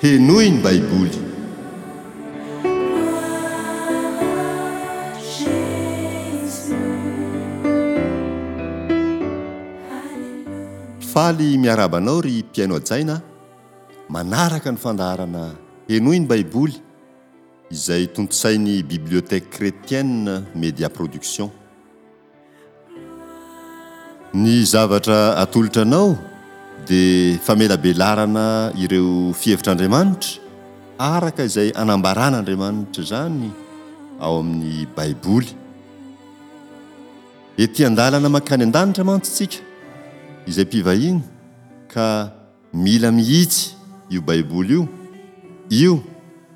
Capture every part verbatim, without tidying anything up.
Henoy ny Baiboly. Faly miarahaba anao ry mpihaino hajaina a! Manaraka ny fandaharana Henoy ny Baiboly izay tontosain'ny Bibliothèque Chrétienne Media Production. Ny zavatra atolotra anao dia famelabelarana ireo fihevitr'Andriamanitra araka izay anambaran'Andriamanitra izany ao amin'ny Baiboly. Ety an-dalana mankany an-danitra mantsy tsika izay mpivahiny ka mila mihitsy io Baiboly io, io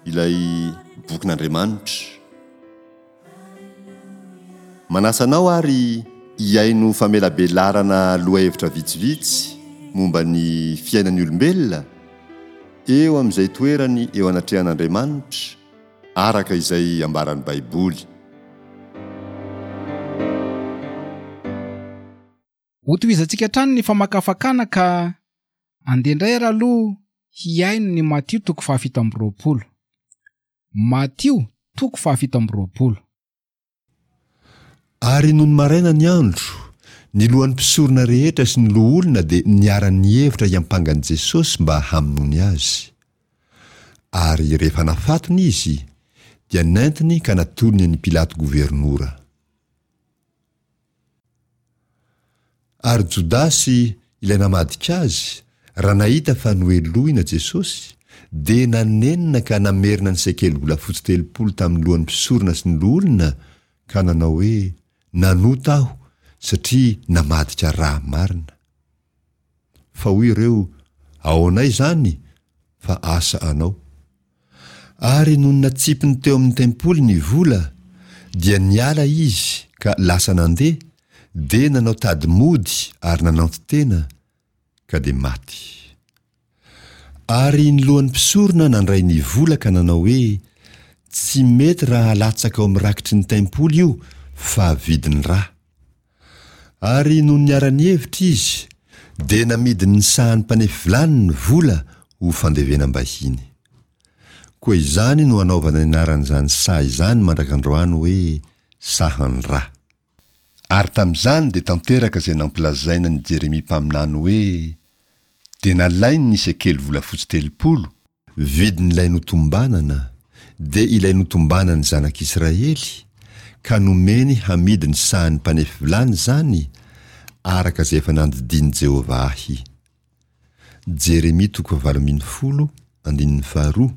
ilay bokin'Andriamanitra. Manasa anao ary hihaino famelabelarana lohahevitra vitsivitsy momba ny fiainan'ny olombelona eo amin'izay toerany eo anatrehan'Andriamanitra araka izay ambaran'ny Baiboly. Hotohizantsika hatrany ny famakafakana ka andeha indray ary aloha hihaino ny Matio toko fahafito amby roapolo. Matio toko fahafito amby roapolo. Ary nony maraina ny andro, ny lohan'ny mpisorona rehetra sy ny loholona dia niara-nihevitra hiampanga an'i Jesosy mba hamonoany azy. Ary rehefa nafatony izy, dia nentiny ka natolony an'i Pilato governora. Ary Jodasy, ilay namadika azy, raha nahita fa nohelohina Jesosy, dia nanenina ka namerina ny sekely volafotsy telopolo tamin'ny lohan'ny mpisorona sy ny loholona, ka nanao hoe, Nanota aho, satria namadika ra marina. Fa hoy ireo, Ahoanay izany, fa asa anao. Ary nony natsipiny teo amin'ny tempoly ny vola, dia niala izy ka lasa nandeha, dia nanao tady mody ary nananton-tena, ka dia maty. Ary ny lohan'ny mpisorona nandray ny vola ka nanao hoe, Tsy mety raha alatsaka ao amin'ny rakitry ny tempoly io, fa vidin'ny ra. Ary nony niara-nihevitra izy, dia namidiny ny sahan'ny mpanefy vilany ny vola ho fandevenam-bahiny. Koa izany no anaovana ny anaran'izany saha izany mandrak'androany hoe sahan-dra. Ary tamin'izany dia tanteraka izay nampilazaina an'i Jeremia mpaminany hoe, Dia nalainy ny sekely volafotsy telopolo, vidin'ilay notombanana, dia ilay notombanan'ny zanak'Israely, ka nomeny hamidy ny sahan'ny mpanefy vilany izany, araka izay efa nandidian'i Jehovah ahy. Jeremia toko fahavalo ambin'ny folo, andininy faharoa,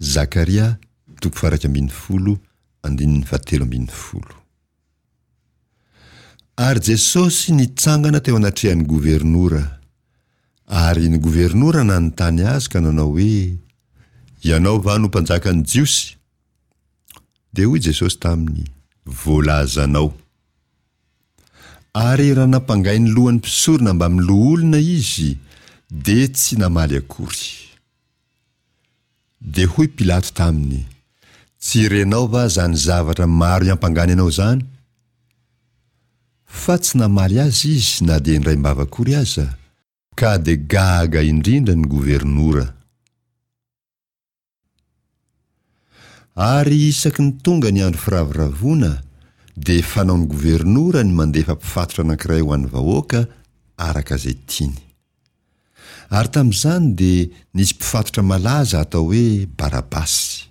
Zakaria toko faha-iraika ambin'ny folo, andininy fahatelo ambin'ny folo. Ary Jesosy nitsangana teo anatrehan'ny governora. Ary ny governora nanontany azy ka nanao hoe, Ianao va no mpanjakan'ny Jiosy? Dia hoy Jesosy taminy, Voalazanao. Ary raha nampangain'ny lohan'ny mpisorona mbamin'ny loholona izy, dia tsy namaly akory. Dia hoy Pilato taminy, Tsy renao va izany zavatra maro iampangany anao izany? Fa tsy namaly azy izy na dia indraim-bava akory aza, ka dia gaga indrindra ny governora. Ary isaky ny tonga ny andro firavoravoana, dia fanaon'ny governora ny mandefa mpifatotra anankiray ho an'ny vahoaka araka izay tiany. Ary tamin'izany dia nisy mpifatotra malaza atao hoe Barabasy.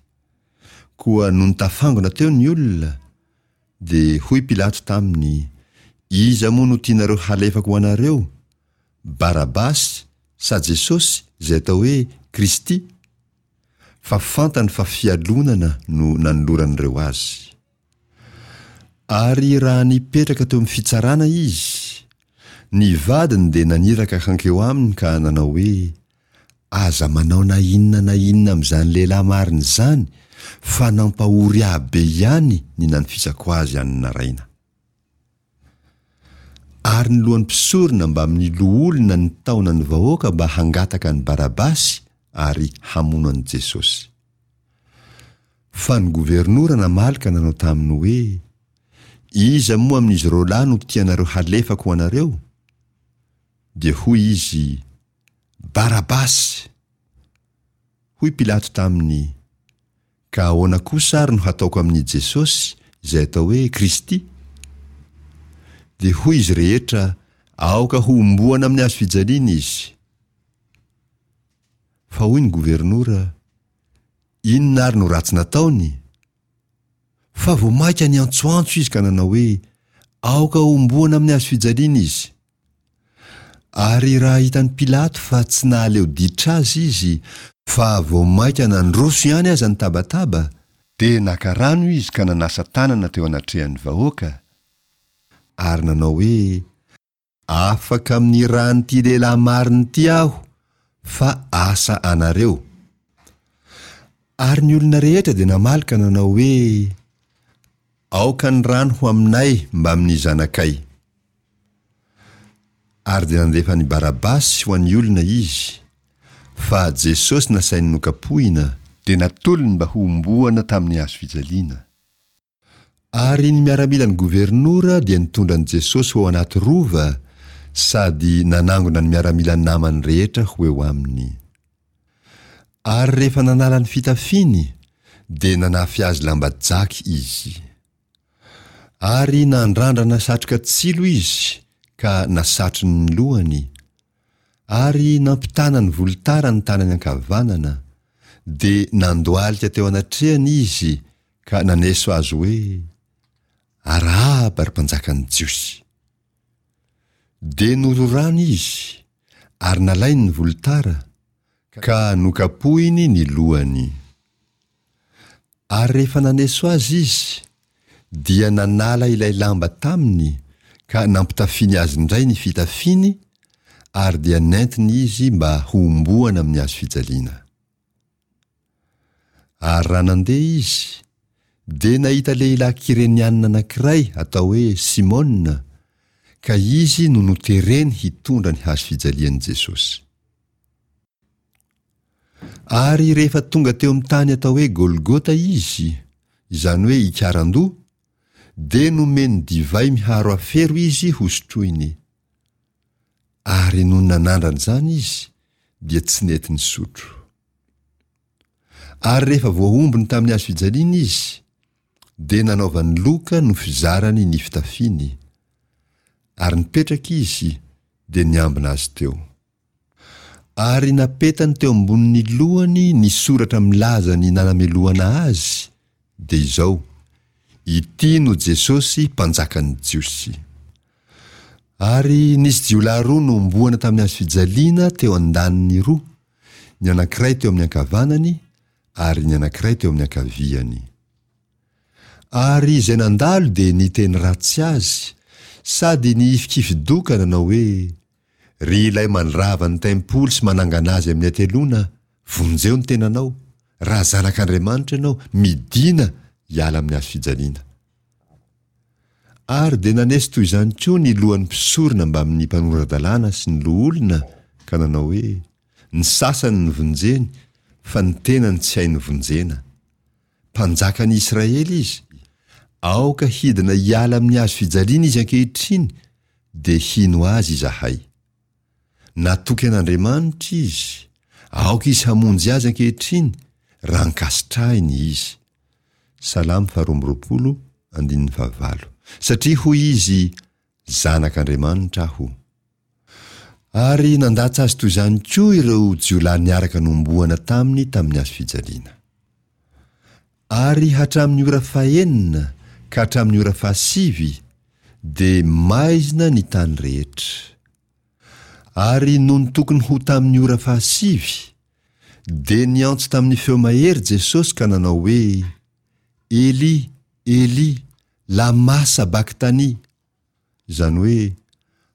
Koa nony tafangona teo ny olona, dia hoy Pilato taminy, Iza moa no tianareo halefako ho anareo, Barabasy sa Jesosy izay atao hoe Kristy? Fa fantany fa fialonana no nanoloran'ireo azy. Ary raha nipetraka teo amin'ny fitsarana izy, ny vadiny dia naniraka hankeo aminy ka nanao hoe, Aza manao na inona na inona amin'izany lehilahy marina izany, fa nampahory ahy be ihany ny nanofisako azy any naraina. Ary ny lohan'ny mpisorona mbamin'ny loholona nitaona ny vahoaka mba hangataka an'i Barabasy ary hamono an'i Jesosy. Fa ny governora namaly ka nanao taminy hoe, Iza moa amin'izy roalahy no tianareo halefako ho anareo? Dia hoy izy, Barabasy! Hoy Pilato taminy, Ka ahoana kosa ary no hataoko amin'i Jesosy, izay atao hoe Kristy? Dia hoy izy rehetra, Aoka hohomboana amin'ny hazo fijaliana izy. Fa hoy ny governora, Inona ary no ratsy nataony? Fa vao mainka niantsoantso izy ka nanao hoe, Aoka hohomboana amin'ny hazo fijaliana izy. Ary raha hitan'i Pilato fa tsy nahaleo ditra azy izy, fa vao mainka nandroso ihany aza ny tabataba, dia naka rano izy ka nanasa tanana teo anatrehan'ny vahoaka, ary nanao hoe, Afaka amin'ny ran'ity lehilahy marina ity aho, fa asa anareo. Ary ny olona rehetra dia namaly ka nanao hoe, Aoka ny rano ho aminay mbamin'ny zanakay. Ary dia nandefa an'i Barabasy ho an'ny olona izy, fa Jesosy nasainy nokapohina, dia natolony mba hohomboana tamin'ny hazo fijaliana. Ary ny miaramilan'ny governora dia nitondra an'i Jesosy ho ao anaty rova sady nanangona ny miaramila namany rehetra ho eo aminy. Ary rehefa nanala ny fitafiany, dia nanafy azy lamba jaky izy. Ary nandrandrana satroka tsilo izy ka nasatrony ny lohany, ary nampitana ny volotara ny tanany ankavanana, dia nandohalika teo anatrehany izy ka naneso azy hoe, Arahaba, ry mpanjakan'ny Jiosy! Dia nororany izy, ary nalainy ny volotara, ka nokapohiny ny lohany. Ary rehefa naneso azy izy, dia nanala ilay lamba taminy ka nampitafiany azy indray ny fitafiany, ary dia nentiny izy mba hohomboana amin'ny hazo fijaliana. Ary raha nandeha izy, dia nahita lehilahy Kyrenianina anankiray atao hoe Simona, ka izy no notereny hitondra ny hazo fijalian'i Jesosy. Ary rehefa tonga teo amin'ny tany atao hoe Golgota izy, izany hoe Ikarandoha, dia nomeny divay miharo afero izy hosotroiny. Ary nony nanandrana izany izy, dia tsy nety nisotro. Ary rehefa voahombony tamin'ny hazo fijaliana izy, dia nanaovany loka no fizarany ny fitafiany, ary nipetraka izy, dia niambina azy teo. Ary napetany teo ambonin'ny lohany ny soratra milaza ny nanamelohana azy, dia izao, Ity no Jesosy Mpanjakan'ny Jiosy. Ary nisy jiolahy roa nohomboana tamin'ny hazo fijaliana teo an-daniny roa, ny anankiray teo amin'ny ankavanany ary ny anankiray teo amin'ny ankaviany. Ary izay nandalo dia niteny ratsy azy, sady nihifikifi-doha ka nanao hoe, Ry ilay mandrava ny tempoly sy manangana azy amin'ny hateloana, vonjeo ny tenanao, raha zanak'Andriamanitra ianao, midìna hiala amin'ny hazo fijaliana. Ary dia naneso toy izany koa ny lohan'ny mpisorona mbamin'ny mpanora-dalàna sy ny loholona ka nanao hoe, Ny sasany novonjeny, fa ny tenany tsy hainy vonjena. Mpanjakan'i Israely izy, aoka hidina hiala amin'ny hazo fijaliana izy ankehitriny, dia hino azy izahay. Natoky an'Andriamanitra izy, aoka izy hamonjy azy ankehitriny, raha ankasitrahiny izy. Salamo faharoa amby roapolo, andininy fahavalo. Satria hoy izy, Zanak'Andriamanitra aho. Ary nandatsa azy toy izany koa ireo jiolahy niaraka nohomboana taminy tamin'ny hazo fijaliana. Ary hatramin'ny ora fahenina ka hatramin'ny ora fahasivy dia maizina ny tany rehetra. Ary nony tokony ho tamin'ny ora fahasivy, dia niantso tamin'ny feo mahery Jesosy ka nanao hoe, Eli, Eli, lama sabaktani? Izany hoe,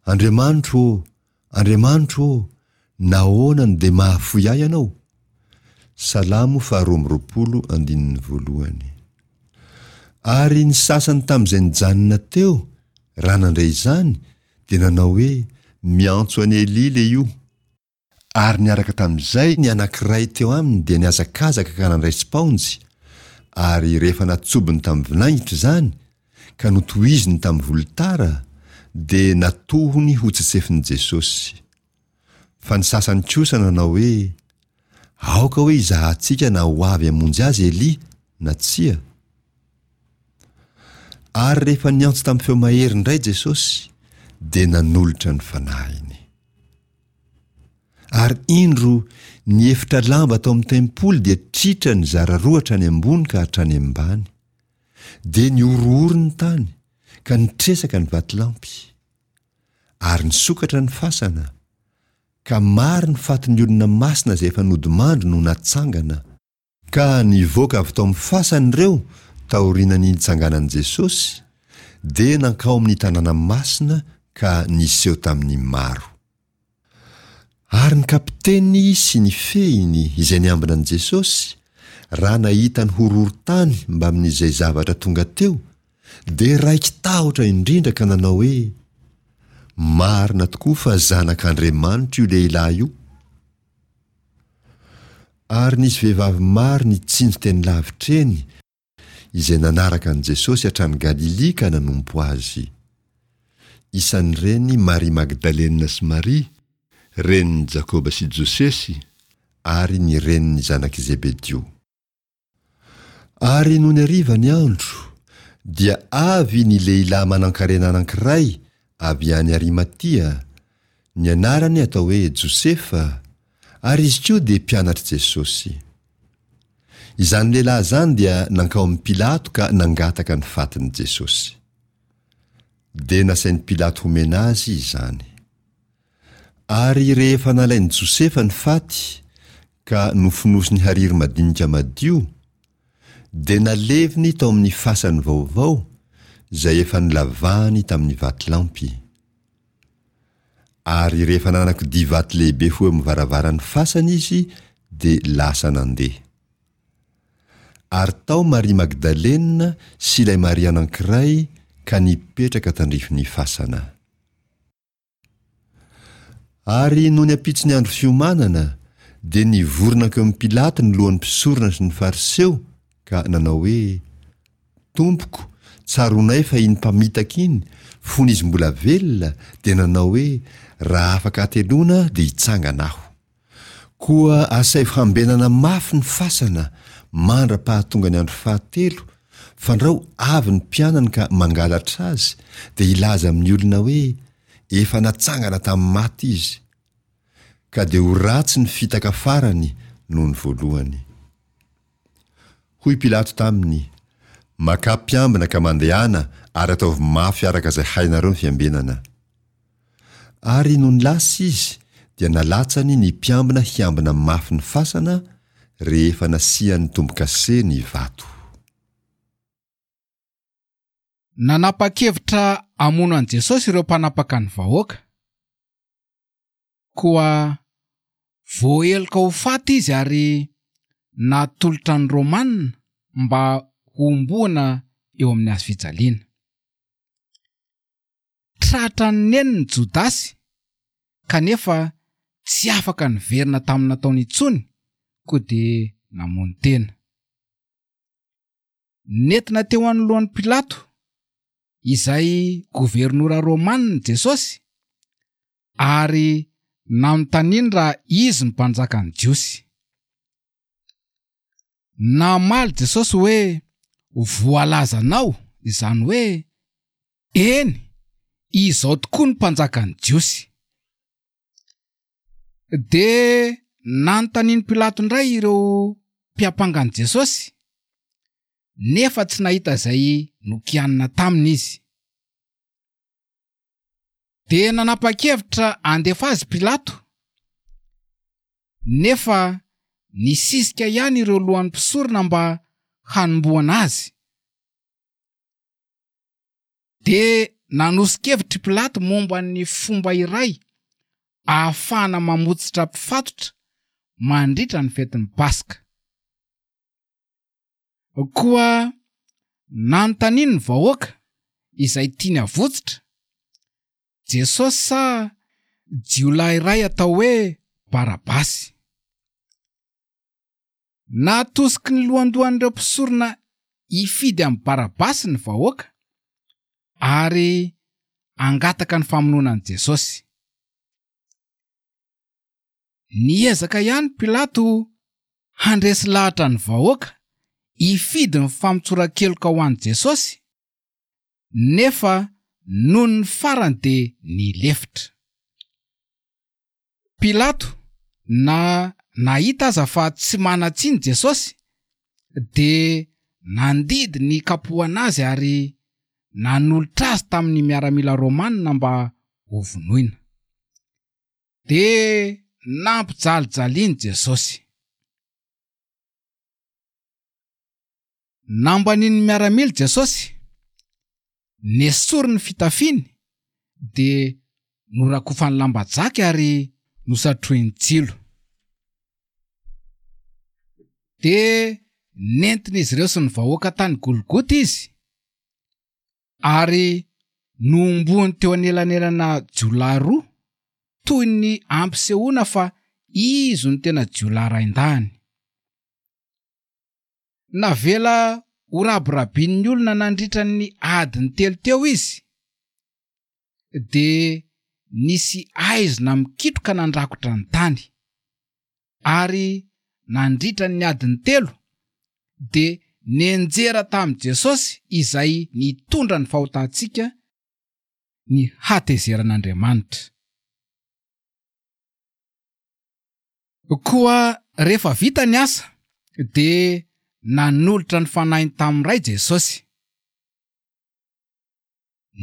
Andriamanitro ô, Andriamanitro ô, nahoana no dia mahafoy ahy Ianao? Salamo faharoa amby roapolo andininy voalohany. Ary ny sasany tamin'izay nijanona teo, raha nandre izany, dia nanao hoe, Miantso an'i Elia lehio. Ary niaraka tamin'izay ny anankiray teo aminy dia nihazakazaka ka nandray spaonjy, ary rehefa natsobony tamin'ny vinaingitra izany, ka notohiziny tamin'ny volotara, dia natohony ho tsetsefin'i Jesosy. Fa ny sasany kosa nanao hoe, Aoka hoe hizahantsika na ho avy hamonjy azy Elia na tsia. Ary rehefa niantso tamin'ny feo mahery indray Jesosy, dia nanolotra ny fanahiny. Ary indro, ny efitra lamba tao amin'ny tempoly dia tritra nizara roa hatrany ambony ka hatrany ambany. Dia nihorohoro ny tany, ka nitresaka ny vatolampy. Ary nisokatra ny fasana, ka maro ny fatin'ny olona masina izay efa nodimandry no natsangana, Ka nivoaka avy tao amin'ny fasany ireo taorian'ny nitsanganan'i Jesosy, dia nankao amin'ny tanàna masina ka niseho tamin'ny maro. Ary ny kapiteny sy ny fehiny izay niambina an'i Jesosy, raha nahita ny horohorontany mbamin'izay zavatra tonga teo, dia raiki-tahotra indrindra ka nanao hoe, Marina tokoa fa Zanak'Andriamanitra io lehilahy io. Ary nisy vehivavy maro nitsinjo teny lavitra eny, izay nanaraka an'i Jesosy hatrany Galilia ka nanompo azy. Isan'ireny Maria Magdalena sy Maria, renin'i Jakoba sy Josesy, ary ny renin'ny zanak'i Zebedio. Ary nony hariva ny andro, dia avy ny lehilahy manankarena anankiray avy any Arimatia, ny anarany atao hoe Josefa, ary izy koa dia mpianatr'i Jesosy. Izany lehilahy izany dia nankao amin'i Pilato ka nangataka ny fatin'i Jesosy. Dia nasain'i Pilato homena azy izany. Ary rehefa nalain'i Josefa ny faty ka nofonosiny hariry madinika madio, dia naleviny tao amin'ny fasany vaovao izay efa nolavahany tamin'ny vatolampy. Ary rehefa nanakodia vato lehibe ho eo amin'ny varavaran'ny fasany izy, dia lasa nandeha. Ary tao Maria Magdalena sy ilay Maria anankiray ka nipetraka tandrifin'ny fasana. Ary nony ampitson'ny andro fiomanana, dia nivory nankeo amin'i Pilato ny lohan'ny mpisorona sy ny Fariseo ka nanao hoe, Tompoko, tsaroanay fa iny mpamitaka iny, fony izy mbola velona, dia nanao hoe, Raha afaka hateloana dia hitsangana aho. Koa asaivo hambenana mafy ny fasana mandra-pahatonga ny andro fahatelo, fandrao avy ny mpianany ka mangalatra azy, dia hilaza amin'ny olona hoe, Efa natsangana tamin'ny maty izy. Ka dia ho ratsy ny fitaka farany noho ny voalohany. Hoy Pilato taminy, Makà mpiambina ka mandehana ary ataovy mafy araka izay hainareo ny fiambenana. Ary nony lasa izy dia nalatsany ny mpiambina hiambina mafy ny fasana rehefa nasiany tombo-kase ny vato. Nanapa-kevitra hamono an'i Jesosy ireo mpanapaka ny vahoaka. Koa voaheloka ho faty izy ary natolotra ny Romana mba hohomboana eo amin'ny hazo fijaliana. Tratran'ny neniny Jodasy kanefa tsy afaka niverina tamin'ny nataony intsony koa dia namono tena. Nentina teo anoloan'i Pilato, izay governora romanina Jesosy, ary nanontaniany raha izy no mpanjakan'ny Jiosy. Namaly Jesosy hoe, Voalazanao, izany hoe, Eny, izao tokoa no mpanjakan'ny Jiosy. Dia nanontanian'i Pilato indray ireo mpiampanga an'i Jesosy, nefa tsy nahita izay nokianina taminy izy. Dia nanapa-kevitra handefa azy Pilato, nefa nisisika ihany ireo lohan'ny mpisorona mba hanombohana azy. Dia nanoso-kevitra i Pilato momba ny fomba iray ahafahana mamotsitra mpifatotra mandritra ny fetin'ny Paska. Koa nanontaniany ny vahoaka izay tiany havotsitra, Jesosy sa jiolahy iray atao hoe Barabasy. Natosiky ny lohandohan'ireo mpisorona hifidy amin'i Barabasy ny vahoaka ary hangataka ny famonoana an'i Jesosy. Niezaka ihany Pilato handresy lahatra ny vahoaka hifidy ny famotsoran-keloka ho an'i Jesosy, nefa noho ny farany dia nilefitra. Pilato na nahita aza fa tsy manan-tsiny Jesosy dia nandidy ny kapohana azy ary nanolotra azy tamin'ny miaramila romanina mba hovonoina. Dia nampijalijaliany Jesosy. Nambanin'ny miaramila Jesosy, nesoriny ny fitafiany dia norakofany lamba jaky ary nosatrohiny tsilo. Dia nentin'izy ireo sy ny vahoaka tany Golgota izy ary nohomboany teo anelanelana jiolahy roa toy ny ampisehoana fa izy no tena jiolahy rain-dahiny. Navela ho rabirabin'ny olona nandritra ny adiny telo teo izy, dia nisy aizina mikitroka nandrakotra ny tany, ary nandritra ny adiny telo dia nianjera tamin'i Jesosy izay nitondra ny fahotantsika ny hatezeran'Andriamanitra. Koa rehefa vita ny asa dia nanolotra ny fanahiny tamin'ny Ray Jesosy.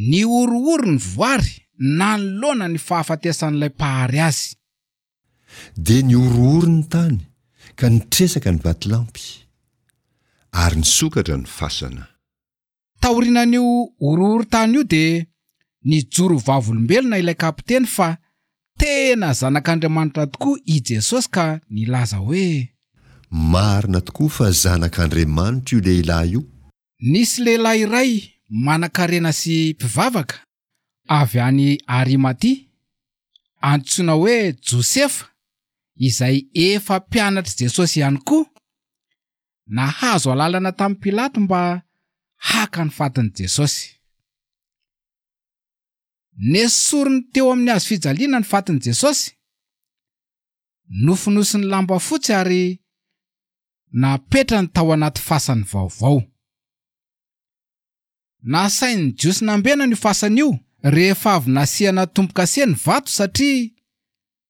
Nihorohoro ny voary nanoloana ny fahafatesan'ilay mpahary azy. Dia nihorohoro ny tany ka nitresaka ny vatolampy, ary nisokatra ny fasana. Taorian'io horohorontany io dia nijoro vavolombelona ilay kapiteny fa tena zanak'Andriamanitra tokoa i Jesosy ka nilaza hoe: Marina tokoa fa zanak'Andriamanitra io lehilahy io. Nisy lehilahy iray manankarena sy mpivavaka avy any Arimatia, antsoina hoe Josefa, izay efa mpianatr'i Jesosy ihany koa, nahazo alalana tamin'i Pilato mba haka ny fatin'i Jesosy. Nesoriny teo amin'ny hazo fijaliana ny fatin'i Jesosy, nofonosiny lamba fotsy ary napetrany tao anaty fasany vaovao. Nasain'ny Jiosy nambenana io fasana io rehefa avy nasiana tombo-kase ny vato satria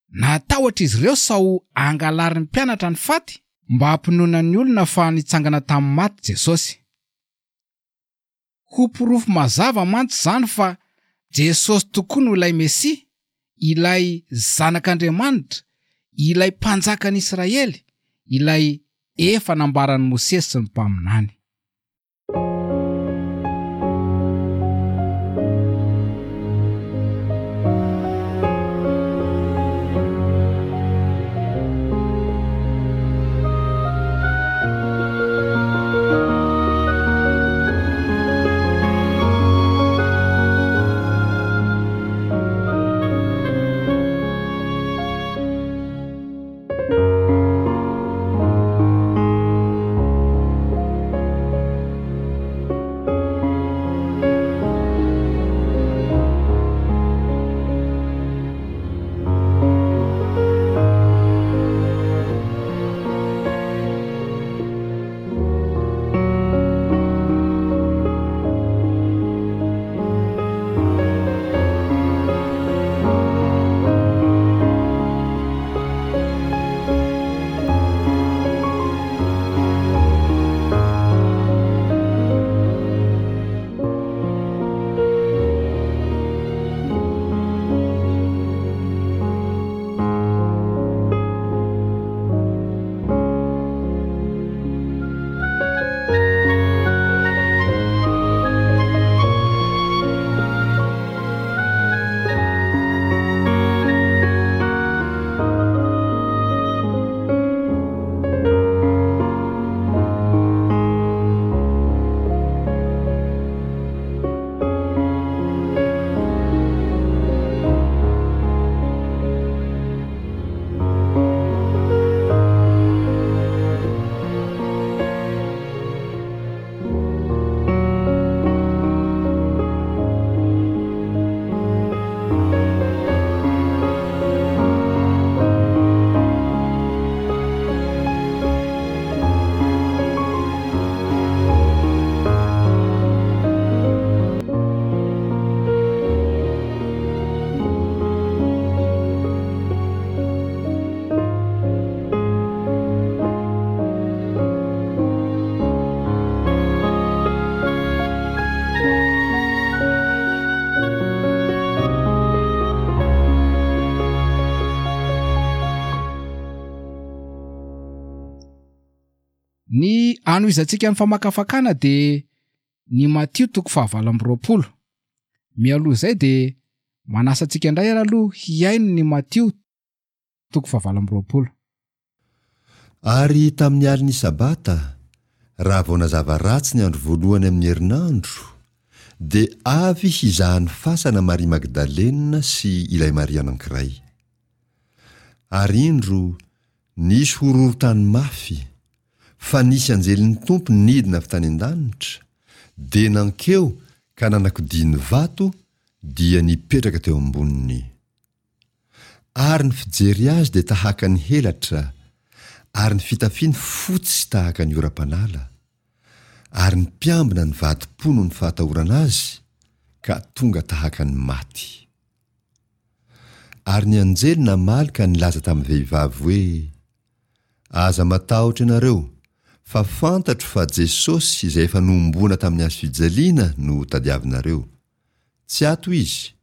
natahotra izy ireo sao angalarin'ny mpianatra ny faty mba hampinoana ny olona fa nitsangana tamin'ny maty Jesosy. Ho porofo mazava mantsy izany fa Jesosy tokoa no ilay Mesia, ilay zanak'Andriamanitra, ilay mpanjakan'Israely, ilay efa nambaran'i Mosesy sy ny mpaminany. Ny anohizantsika ny famakafakana dia ny Matio toko fahavalo amby roapolo. Mialoha izay dia manasa antsika indray ary aloha hihaino ny Matio toko fahavalo amby roapolo. Ary tamin'ny alin'ny Sabata, raha vao nazava ratsy ny andro voalohany amin'ny herinandro, dia avy hizaha ny fasana Maria Magdalena sy ilay Maria anankiray. Ary indro, nisy horohorontany mafy, fa nisy anjelin'ny Tompo nidina avy tany an-danitra, dia nankeo ka nanakodia ny vato, dia nipetraka teo amboniny. Ary ny fijery azy dia tahaka ny helatra, ary ny fitafiany fotsy tahaka ny oram-panala. Ary ny mpiambina nivadi-po noho ny fahatahorana azy, ka tonga tahaka ny maty. Ary ny anjely namaly ka nilaza tamin'ny vehivavy hoe, Aza matahotra ianareo, fa fantatro fa Jesosy izay efa nohomboana tamin'ny hazo fijaliana no tadiavinareo. Tsy ato Izy,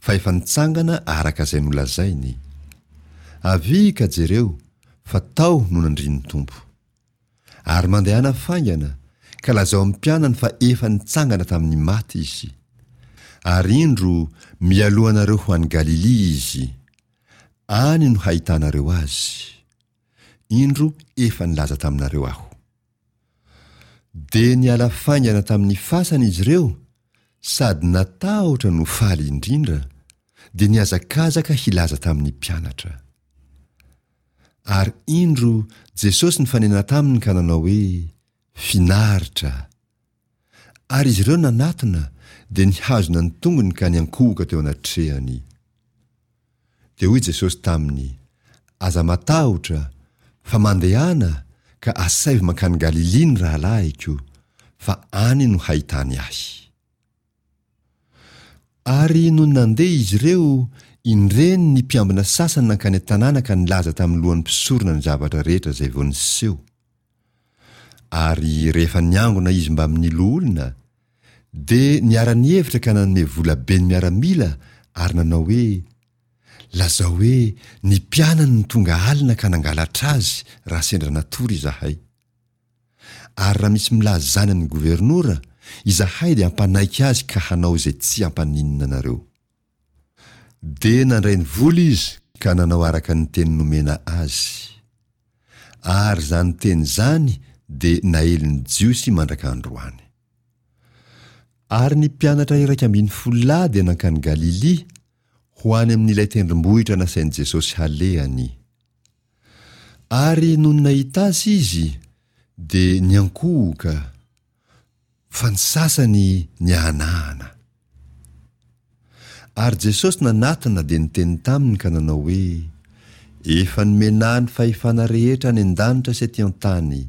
fa efa nitsangana araka izay nolazainy. Avia ka jereo, fa tao no nandrian'ny Tompo. Ary mandehana faingana, ka lazao amin'ny mpianany fa efa nitsangana tamin'ny maty Izy. Ary indro, mialoha anareo ho any Galilia Izy. Any no hahitanareo Azy. Indro efa nilaza taminareo Aho. Dia niala faingana tamin'ny fasana izy ireo, sady natahotra no faly indrindra, dia nihazakazaka hilaza tamin'ny mpianatra. Ary indro Jesosy nifanena taminy ka nanao hoe, Finaritra! Ary izy ireo nanatona, dia nihazona ny tongony ka niankohoka teo anatrehany. Dia hoy Jesosy taminy, Aza matahotra, fa mandehana ka asaivo mankany Galilia ny rahalahiko, fa any no hahitany ahy. Ary nony nandeha izy ireo, indreny ny mpiambina sasany nankany an-tanàna ka nilaza tamin'ny lohan'ny mpisorona ny zavatra rehetra izay vao niseho. Ary rehefa niangona izy mbamin'ny loholona, dia niara-nihevitra ka nanome vola be ny miaramila ary nanao hoe, Lazao hoe ny mpianany no tonga alina ka nangalatra azy raha sendra natory izahay. Ary raha misy milaza izany amin'ny governora, izahay dia hampanaiky azy ka hanao izay tsy hampaninona anareo. Dia nandray ny vola izy ka nanao araka ny teny nomena azy. Ary izany teny izany dia naelin'ny Jiosy mandraka androany. Ary ny mpianatra iraika ambin'ny folo lahy dia nankany Galilia, ho any amin'ilay tendrombohitra nasain'i Jesosy halehany. Ary nony nahita azy izy, dia niankohoka, fa ny sasany niahanahana. Ary Jesosy nanatona dia niteny taminy ka nanao hoe, Efa nomena ahy ny fahefana rehetra any an-danitra sy aty an-tany.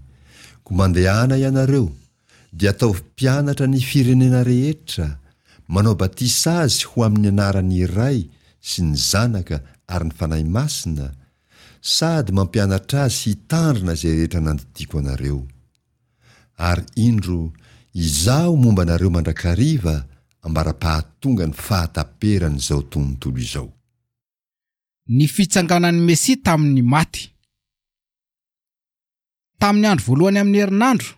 Koa mandehana ianareo, dia ataovy mpianatra ny firenena rehetra, manao batisa azy ho amin'ny anaran'ny Ray sy ny Zanaka ary ny Fanahy Masina, sady mampianatra azy hitandrina izay rehetra nandidiako anareo. Ary indro, Izaho momba anareo mandrakariva ambara-pahatonga ny fahataperan'izao tontolo izao. Ny fitsanganan'ny Mesia tamin'ny maty. Tamin'ny andro voalohany amin'ny herinandro,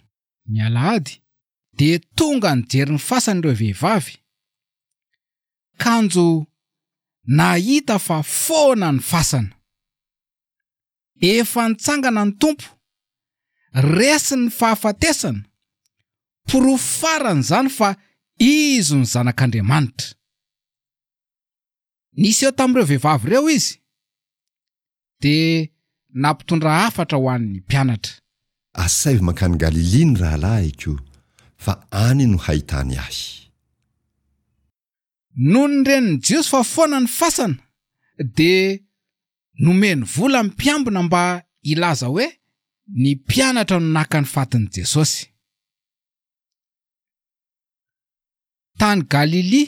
ny alahady, dia tonga nijery ny fasany ireo vehivavy, kanjo nahita fa foana ny fasana. Efa nitsangana ny Tompo, resy ny fahafatesana, porofo farany izany fa Izy no Zanak'Andriamanitra. Niseho tamin'ireo vehivavy ireo Izy, dia nampitondra hafatra ho an'ny mpianatra. Asaivo mankany Galilia ny rahalahiko, fa any no hahitany ahy. Nony ren'ny Jiosy fa foana ny fasana, dia nomeny vola ny mpiambina mba hilaza hoe ny mpianatra no naka ny fatin'i Jesosy. Tany Galilia,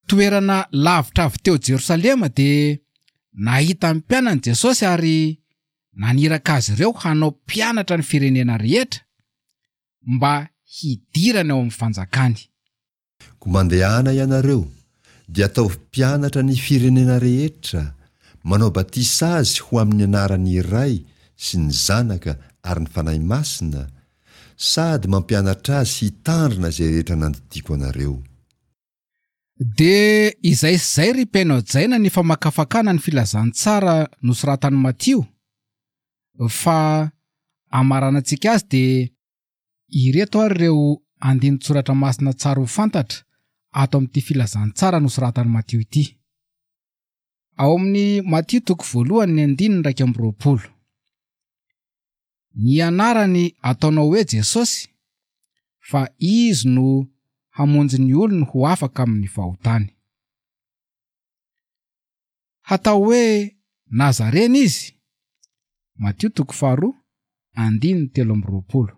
toerana lavitra avy teo Jerosalema, dia nahita ny mpianany Jesosy ary naniraka azy ireo hanao mpianatra ny firenena rehetra mba hidirany ao amin'ny fanjakany. Koa mandehana ianareo, dia ataovy mpianatra ny firenena rehetra, manao batisa azy ho amin'ny anaran'ny Ray sy ny Zanaka ary ny Fanahy Masina, sady mampianatra azy hitandrina izay rehetra nandidiako anareo. Dia izay sy izay ry mpihaino hajaina ny famakafakana ny filazantsara nosoratan'i Matio, fa amaranantsika azy dia ireto ary ireo andinin-tsoratra masina tsara ho fantatra ato amin'ity filazantsara nosoratan'i Matio ity. Ao amin'ny Matio toko voalohany ny andininy iraika amby roapolo. Ny anarany ataonao hoe Jesosy, fa izy no hamonjy ny olony ho afaka amin'ny fahotany. Hatao hoe Nazarena izy. Matio toko faharoa, andininy telo amby roapolo.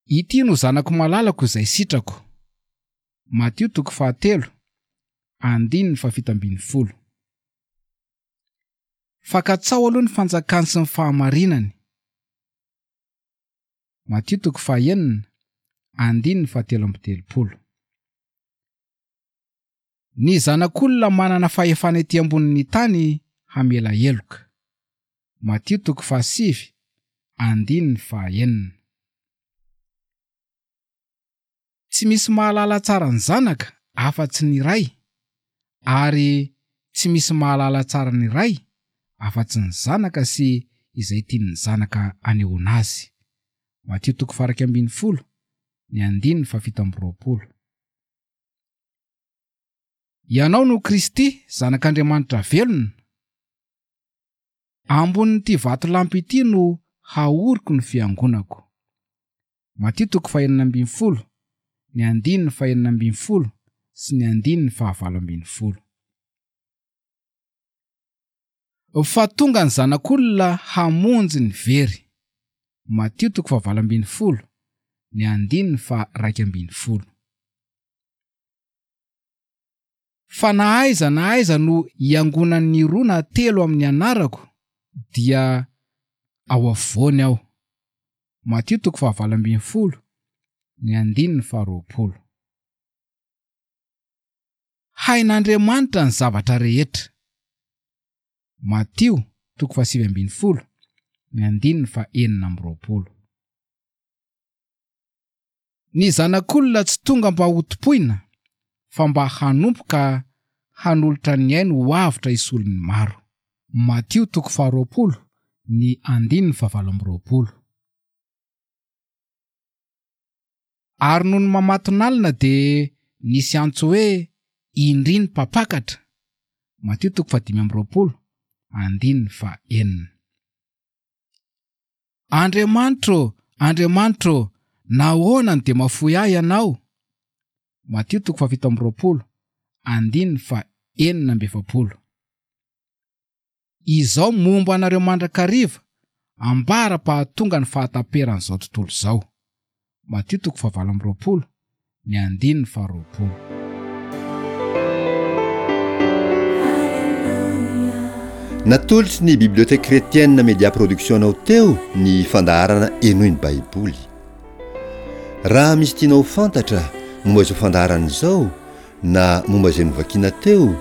Ity no zanako malalako izay sitrako. Matio toko fahatelo, andininy fahafito ambin'ny folo. Fa katsao aloha ny fanjakany sy ny fahamarinany. Matio toko fahenina, andininy fahatelo amby telopolo. Ny zanak'olona manana fahefana ety ambonin'ny tany hamela heloka. Matio toko fahasivy, andininy fahenina. Tsy misy mahalala tsara ny zanaka afa-tsy ny ray, ary tsy misy mahalala tsara ny ray afa-tsy ny zanaka sy izay tian'ny zanaka anehoana azy. Matio toko faha-iraika ambin'ny folo, ny andininy fahafito amby roapolo. Ianao no Kristy, zanak'Andriamanitra velona. Ambonin'ity vatolampy ity no haoriko ny fiangonako. Matio toko fahenina ambin'ny folo, ny andininy fahenina ambin'ny folo sy ny andininy fahavalo ambin'ny folo. Fa tonga ny zanak'olona hamonjy ny very. Matio toko fahavalo ambin'ny folo, ny andininy faha-iraika ambin'ny folo. Fa na aiza na aiza no hiangonan'ny roa na telo amin'ny anarako, dia ao afovoany aho. Matio toko fahavalo ambin'ny folo, ny andininy faharoapolo. Hain'Andriamanitra ny zavatra rehetra. Matio toko fahasivy ambin'ny folo, ny andininy fahenina amby roapolo. Ny zanak'olona tsy tonga mba hotompoina, fa mba hanompo ka hanolotra ny ainy ho avotra hisolo ny maro. Matio toko faharoapolo, ny andininy fahavalo amby roapolo. Ary nony mamatonalina dia nisy antso hoe indry ny mpampakatra. Matio toko fahadimy amby roapolo, andininy fahenina. Andriamanitro, Andriamanitro, nahoana no dia mahafoy ahy ianao? Matio toko fahafito amby roapolo, andininy fahenina amby efapolo. Izao momba anareo mandrakariva, ambara-pahatonga ny fahataperan'izao tontolo izao. Matio toko fahavalo amby roapolo, ny andininy faharoapolo. Natolotry ny Bibliothèque Chrétienne Media Production anao teo ny fandaharana Henoy ny Baiboly. Raha misy tianao ho fantatra momba izao fandaharana izao na momba izay novakiana teo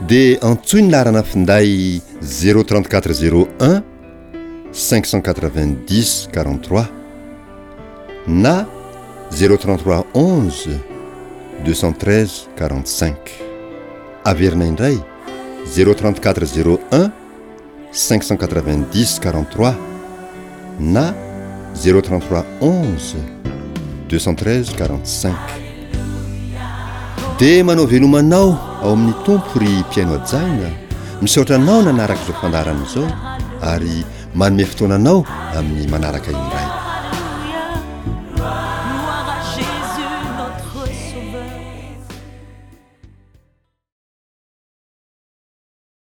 dia antsoy ny laharana finday zéro trente-quatre zéro un cinq cent quatre-vingt-dix quarante-trois na zéro trente-trois onze deux cent treize quarante-cinq. Averina indray zéro trente-quatre zéro un cinq cent quatre-vingt-dix quarante-trois na zéro trente-trois onze deux cent treize quarante-cinq. Dia manao veloma anao ao amin'ny Tompo ry mpihaino hajaina, misaotra anao nanaraka izao fandaharana izao ary manome fotoana anao amin'ny manaraka indray.